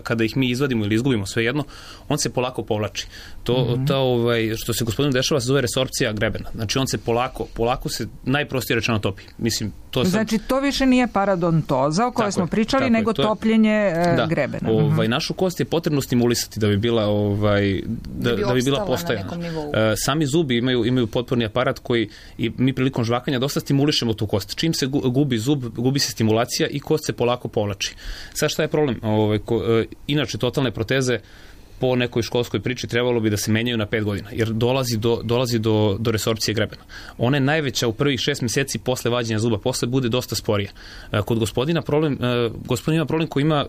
kada ih mi izvadimo ili izgubimo, svejedno, on se polako povlači. Što se gospodinu dešava se zove resorpcija grebena. Znači on se polako se najprostije rečeno topi. Mislim, znači to više nije parodontoza o kojoj smo pričali, nego topljenje grebena. Našu kost je potrebno stimulisati da bi bila da bi bila postojana. Sami zubi imaju potporni aparat koji i mi prilikom žvakanja dosta stimulišemo tu kost. Čim se gubi zub, gubi se stimulacija i kost se polako povlači. Sad šta je problem? Inače, totalne proteze po nekoj školskoj priči trebalo bi da se menjaju na 5 godina, jer dolazi do resorpcije grebena. Ona je najveća u prvih 6 mjeseci posle vađenja zuba, posle bude dosta sporija. Kod gospodin ima problem koji ima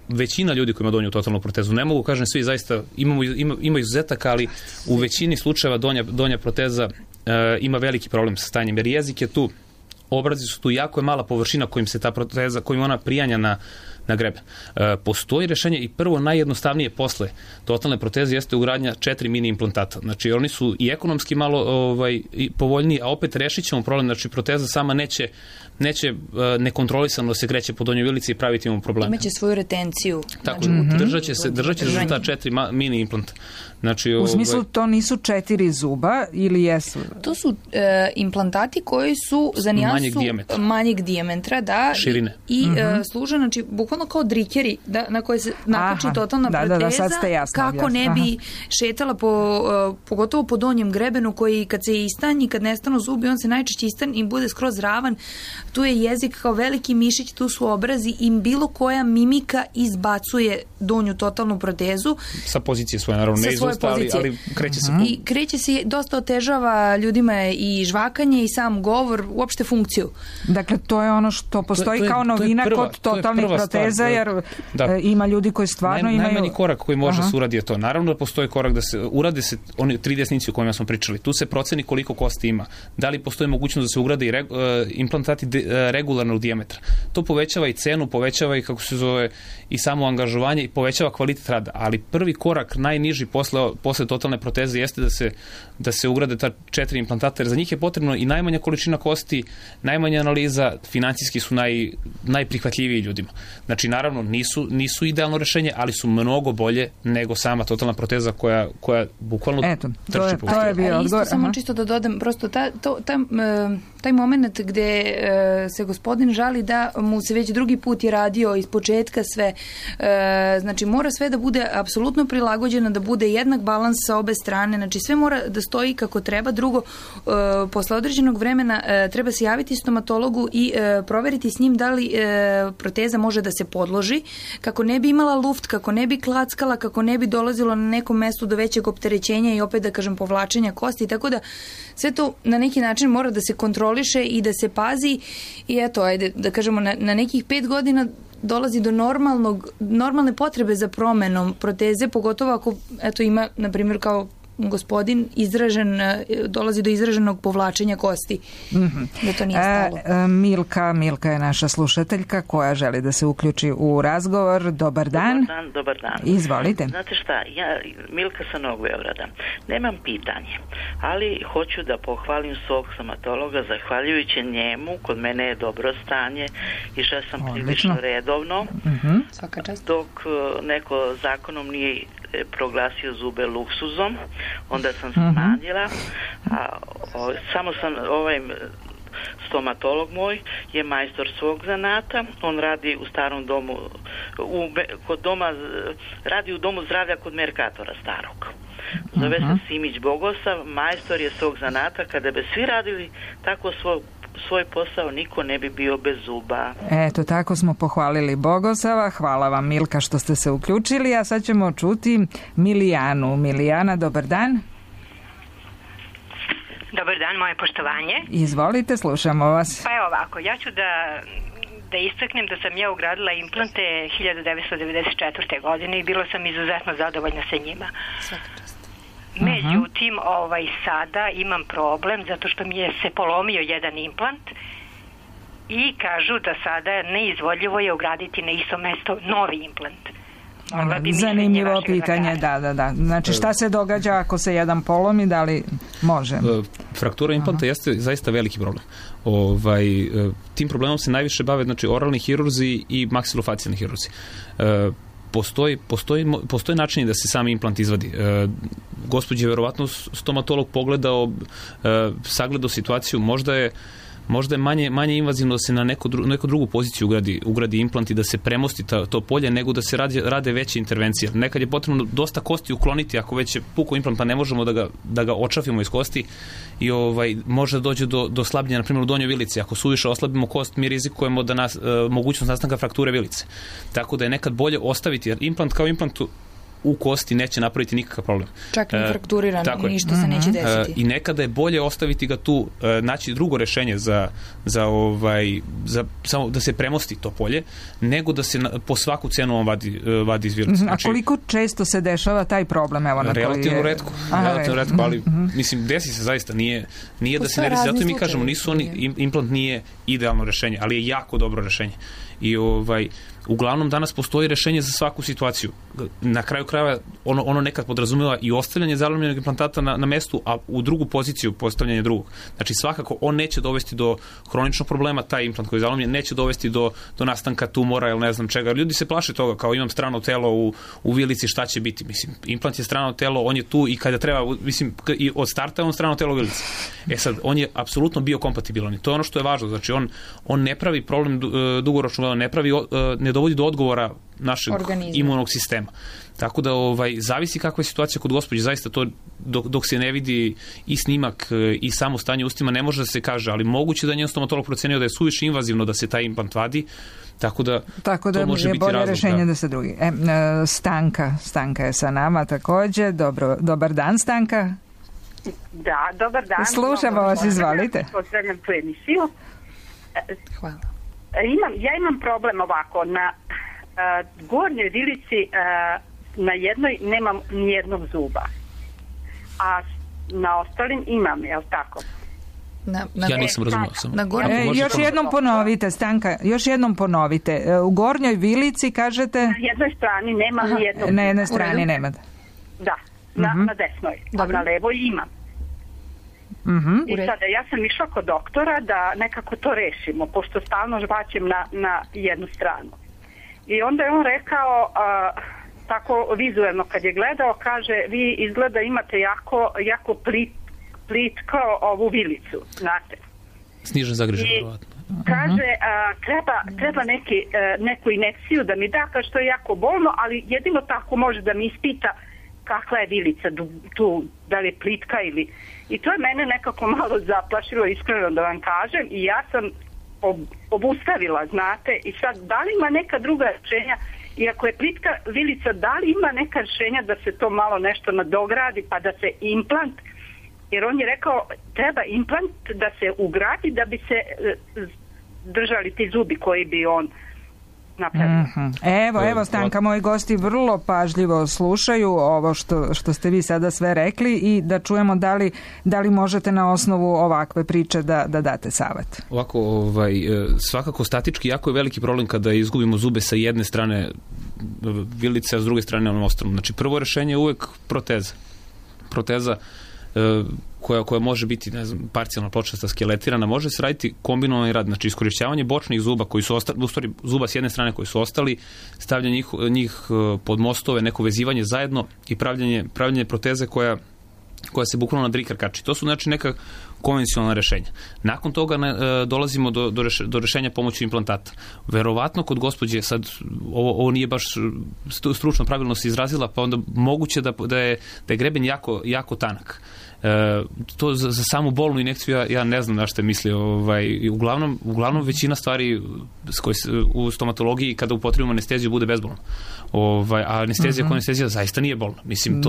većina ljudi koji ima donju totalnu protezu. Ne mogu kažem svi, zaista ima izuzetaka, ali u većini slučajeva donja proteza ima veliki problem sa stanjem, jer jezik je tu, obrazi su tu, jako je mala površina kojim se ta proteza, kojim ona prijanja na greben. Postoji rešenje i prvo najjednostavnije posle totalne proteze jeste ugradnja 4 mini implantata. Znači oni su i ekonomski malo povoljniji, a opet rešit ćemo problem, znači proteza sama neće nekontrolisano se kreće po donjoj vilici i praviti mu probleme. Imaće svoju retenciju. Tako, držat će se ta 4 mini implanta. Znači, u smislu to nisu 4 zuba ili jesu? To su implantati koji su za nijansu manjeg dijametra, da, širine. I služe, znači, bukvalno kao drikeri na koje se nakači totalna proteza, kako ne bi šetala pogotovo po donjem grebenu koji kad se istanji, kad nestanu zubi, on se najčešće istani i bude skroz ravan. Tu je jezik kao veliki mišić, tu su obrazi i bilo koja mimika izbacuje donju totalnu protezu. Sa pozicije svoje, naravno, ne izvosta, ali kreće se. I kreće se, dosta otežava ljudima i žvakanje i sam govor, uopšte funkciju. Dakle, to je ono što postoji kao novina kod totalnih proteza, jer ima ljudi koji stvarno imaju... Najmanji korak koji može se uradi je to. Naravno da postoji korak da se urade se oni 3 desnici o kojima smo pričali. Tu se proceni koliko kosti ima. Da li postoji mogućnost da se ugrade i implantati regularnog dijametra. To povećava i cenu, povećava i kako se zove i samo angažovanje i povećava kvalitet rada. Ali prvi korak, najniži posle totalne proteze jeste da se ugrade ta 4 implantata, jer za njih je potrebno i najmanja količina kosti, najmanja analiza, financijski su najprihvatljiviji ljudima. Znači, naravno, nisu idealno rešenje, ali su mnogo bolje nego sama totalna proteza koja bukvalno trči po to je bio odgovor. Samo čisto da dodam, prosto taj moment gde se gospodin žali da mu se već drugi put je radio iz početka sve, znači mora sve da bude apsolutno prilagođeno, da bude jednak balans sa obe strane, znači sve mora da stoji kako treba. Drugo, posle određenog vremena treba se javiti stomatologu i proveriti s njim da li proteza može da se podloži, kako ne bi imala luft, kako ne bi klackala, kako ne bi dolazilo na nekom mestu do većeg opterećenja i opet da kažem povlačenja kosti, tako da sve to na neki način mora da se kontroliše i da se pazi i eto, ajde, da kažemo na nekih 5 godina dolazi do normalne potrebe za promenom proteze, pogotovo ako eto ima, na primjer, kao gospodin dolazi do izraženog povlačenja kosti. Da to nije stalo. Milka je naša slušateljka koja želi da se uključi u razgovor. Dobar dan. Dobar dan. Izvolite. Znate šta, ja Milka sa Novog Beograda. Nemam pitanje, ali hoću da pohvalim svog stomatologa, zahvaljujući njemu, kod mene je dobro stanje, išla sam prilično redovno, dok neko zakonom nije proglasio zube luksuzom, onda sam smanjila, samo sam stomatolog moj je majstor svog zanata, on radi u starom domu, radi u domu zdravlja kod Merkatora starog. Zove se Simić Bogosav, majstor je svog zanata, kada bi svi radili tako svoj posao, niko ne bi bio bez zuba. Eto, tako smo pohvalili Bogosava. Hvala vam, Milka, što ste se uključili, a sad ćemo čuti Milijanu. Milijana, dobar dan. Dobar dan, moje poštovanje. Izvolite, slušamo vas. Pa evo ovako, ja ću da istaknem da sam ja ugradila implante 1994. godine i bila sam izuzetno zadovoljna sa njima. Međutim, sada imam problem zato što mi je se polomio jedan implant i kažu da sada neizvodljivo je ugraditi na isto mesto novi implant. Zanimljivo pitanje, da. Znači, šta se događa ako se jedan polomi, da li može? Fraktura implanta jeste zaista veliki problem. Tim problemom se najviše bave oralni hirurzi i maksilofacijalni hirurzi. Postoji način da se sam implant izvadi. Gospođe, verovatno stomatolog pogledao, sagledao situaciju, možda je manje invazivno da se na neku drugu poziciju ugradi implant i da se premosti to polje, nego da se rade veće intervencije. Nekad je potrebno dosta kosti ukloniti, ako već je pukao implant, pa ne možemo da ga očafimo iz kosti i može da dođe do slabljenja, na primjer u donjoj vilici. Ako suviše oslabimo kost, mi rizikujemo mogućnost nastanka frakture vilice. Tako da je nekad bolje ostaviti, jer implant kao implant u kosti neće napraviti nikakav problem. Čak i frakturiran, ništa se neće desiti. I nekada je bolje ostaviti ga tu, naći drugo rešenje samo da se premosti to polje, nego da se po svaku cenu on vadi iz vilice. A koliko često se dešava taj problem? Relativno retko, ali mislim, desi se zaista, nije da se ne desi, zato mi kažemo, implant nije idealno rešenje, ali je jako dobro rešenje. I uglavnom danas postoji rešenje za svaku situaciju. Na kraju krajeva ono nekad podrazumeva i ostavljanje zalomljenog implantata na mestu, a u drugu poziciju postavljanje drugog. Znači svakako on neće dovesti do hroničnog problema, taj implant koji je zalomljen neće dovesti do nastanka tumora ili ne znam čega. Ljudi se plaše toga, kao imam strano telo u vilici, šta će biti? Mislim, implant je strano telo, on je tu i kada treba, mislim, i od starta je on strano telo u vilici. Sad, on je apsolutno biokompatibilan i to je ono što je važno. Znači on ne pravi problem dugoročno, ne dovodi do odgovora našeg imunog sistema. Tako da zavisi kakva je situacija kod gospođe, zaista to dok se ne vidi i snimak i samo stanje ustima ne može da se kaže, ali moguće da njen stomatolog procenio da je suviše invazivno da se taj implant vadi, tako da to može biti razlog. Bolje rešenje da se drugi. Stanka je sa nama takođe. Dobar dan, Stanka. Da, dobar dan. Slušamo vas, izvalite. Pozdravljam tu emisiju. Hvala. Ja imam problem ovako, na gornjoj vilici na jednoj nemam nijednog zuba, a na ostalim imam, je li tako? Ja nisam razumio. Još jednom ponovite, Stanka, u gornjoj vilici kažete? Na jednoj strani nemam nijednog zuba. Na jednoj strani nemate? Da, na desnoj, a na levoj imam. I sada ja sam išla kod doktora da nekako to rešimo, pošto stalno žvaćem na jednu stranu. I onda je on rekao, tako vizuelno kad je gledao, kaže, vi izgleda imate jako plitko ovu vilicu, znate. Snižen zagrižen, vjerovatno. Kaže, treba neku injekciju da mi da, kaže, što je jako bolno, ali jedino tako može da mi ispita kakva je vilica tu, da li je plitka ili... I to je mene nekako malo zaplašilo, iskreno da vam kažem, i ja sam obustavila, znate, i sad, da li ima neka druga rešenja, i ako je plitka vilica, da li ima neka rešenja da se to malo nešto nadogradi, pa da se implant, jer on je rekao, treba implant da se ugradi da bi se držali ti zubi koji bi on napravio. Evo Stanka, moji gosti vrlo pažljivo slušaju ovo što ste vi sada sve rekli i da čujemo da li možete na osnovu ovakve priče da date savet. Ovako, svakako statički jako je veliki problem kada izgubimo zube sa jedne strane vilice, a s druge strane onom ostalom. Znači, prvo rešenje je uvek proteza koja može biti, ne znam, parcijalna pločasta skeletirana, može se raditi kombinovani rad, znači iskorišćavanje bočnih zuba koji su ostali, u stvari zuba s jedne strane koji su ostali, stavljanje njih pod mostove, neko vezivanje zajedno i pravljanje proteze koja se bukvalno na drikar kači. To su znači neka konvencionalna rešenja. Nakon toga dolazimo do rešenja pomoću implantata. Verovatno kod gospođe, sad ovo nije baš stručno pravilno se izrazila, pa onda moguće da je greben jako tanak. To za samu bolnu injekciju ja ne znam na što je mislio. Uglavnom većina stvari u stomatologiji kada upotrebimo anesteziju bude bezbolna. A anestezija kao anestezija zaista nije bolna. Mislim,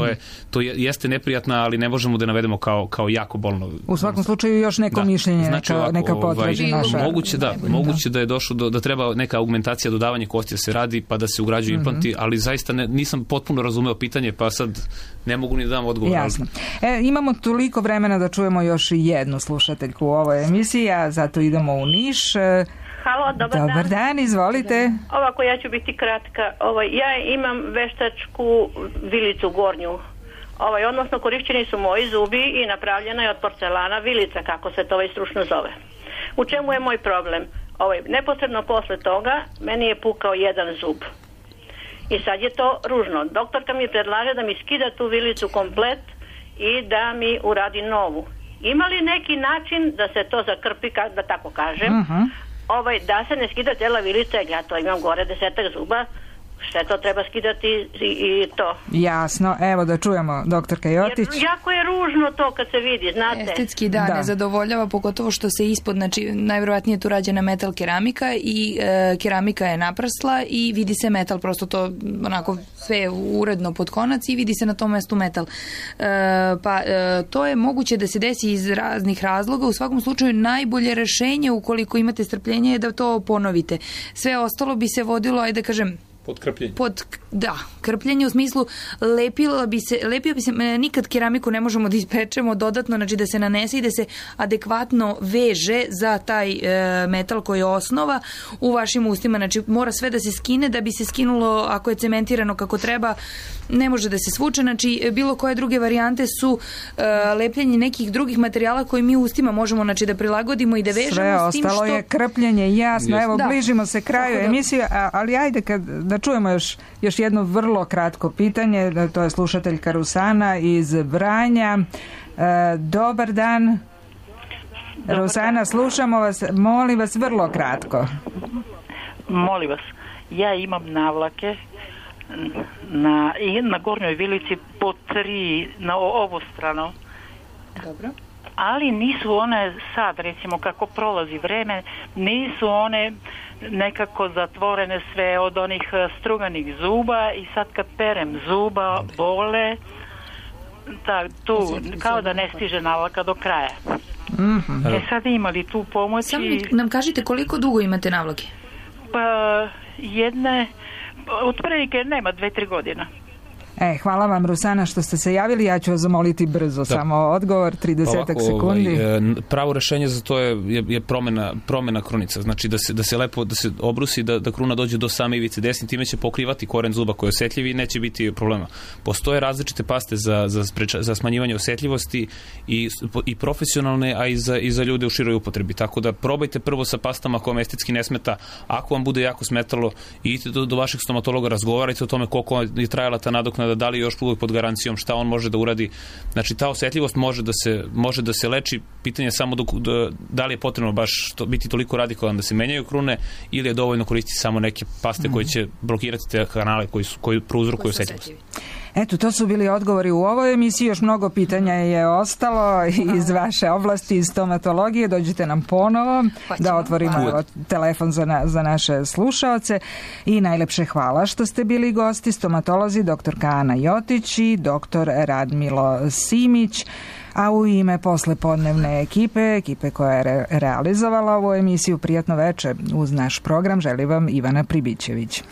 to jeste neprijatna, ali ne možemo da navedemo kao jako bolno. U svakom slučaju još neko mišljenje, znači, neka potraži naša. Moguće da je došlo da treba neka augmentacija, dodavanje kosti da se radi, pa da se ugrađuju implanti, ali zaista nisam potpuno razumeo pitanje, pa sad ne mogu ni da dam odgovor. Jasno. Imamo toliko vremena da čujemo još jednu slušateljku u ovoj emisiji, a zato idemo u Niš. Halo, dobar dan, izvolite. Ovako, ja ću biti kratka. Ja imam veštačku vilicu gornju. Odnosno, korišćeni su moji zubi i napravljena je od porcelana vilica, kako se to stručno zove. U čemu je moj problem? Neposredno posle toga meni je pukao jedan zub. I sad je to ružno. Doktorka mi predlaže da mi skida tu vilicu komplet i da mi uradi novu. Ima li neki način da se to zakrpi, da tako kažem, da se ne skida cijela vilica, jer ja to imam gore 10 zuba, sve to treba skidati i to. Jasno, evo da čujemo doktorka Jotić. Jer jako je ružno to kad se vidi, znate. Estetski ne zadovoljava, pogotovo što se ispod, znači najvjerojatnije tu rađena metal keramika i keramika je naprsla i vidi se metal, prosto to onako sve uredno pod konac i vidi se na tom mestu metal. To je moguće da se desi iz raznih razloga, u svakom slučaju najbolje rešenje ukoliko imate strpljenje je da to ponovite. Sve ostalo bi se vodilo, ajde kažem, krpljenje u smislu lepio bi se, nikad keramiku ne možemo da ispečemo dodatno, znači da se nanese i da se adekvatno veže za taj metal koji je osnova u vašim ustima, znači mora sve da se skine, da bi se skinulo, ako je cementirano kako treba, ne može da se svuče, znači bilo koje druge varijante su lepljenje nekih drugih materijala koji mi u ustima možemo, znači, da prilagodimo i da vežemo. Sve ostalo je krpljenje, jasno, evo bližimo se kraju emisije, ali ajde da čujemo još jedno vrlo kratko pitanje, to je slušateljka Rusana iz Vranja. Dobar dan. Rusana, slušamo vas, molim vas vrlo kratko. Molim vas, ja imam navlake na gornjoj vilici po 3 na ovu stranu. Dobro. Ali nisu one sad, recimo kako prolazi vreme, nisu one nekako zatvorene sve od onih struganih zuba i sad kad perem zuba bole, tu kao da ne stiže navlaka do kraja. Sad imali tu pomoći. Samo nam kažite koliko dugo imate navlake? Pa jedne, otprilike nema 2-3 godina. Hvala vam, Rusana, što ste se javili. Ja ću vas zamoliti brzo, samo odgovor, 30 sekundi. Pravo rešenje za to je promena krunice. Znači da se lepo, da se obrusi, da kruna dođe do same ivice desni, time će pokrivati koren zuba koji je osetljiv i neće biti problema. Postoje različite paste za smanjivanje osetljivosti i profesionalne, a i za ljude u široj upotrebi. Tako da probajte prvo sa pastama kojom estetski ne smeta. Ako vam bude jako smetalo, idite do vašeg stomatologa, razgovarajte o tome koliko je trajala ta nadoknada, da li je još uvijek pod garancijom, šta on može da uradi. Znači, ta osetljivost može da se leči. Pitanje je samo da li je potrebno baš biti toliko radikalan da se menjaju krune ili je dovoljno koristiti samo neke paste koje će blokirati te kanale koji prouzrokuju osetljivost. Eto, to su bili odgovori u ovoj emisiji. Još mnogo pitanja je ostalo iz vaše oblasti, iz stomatologije. Dođite nam ponovo da otvorimo telefon za naše slušaoce. I najlepše hvala što ste bili gosti, stomatolozi dr. Ana Jotić i dr. Radmilo Simić. A u ime poslepodnevne ekipe koja je realizovala ovu emisiju, prijatno veče uz naš program želi vam Ivana Pribićević.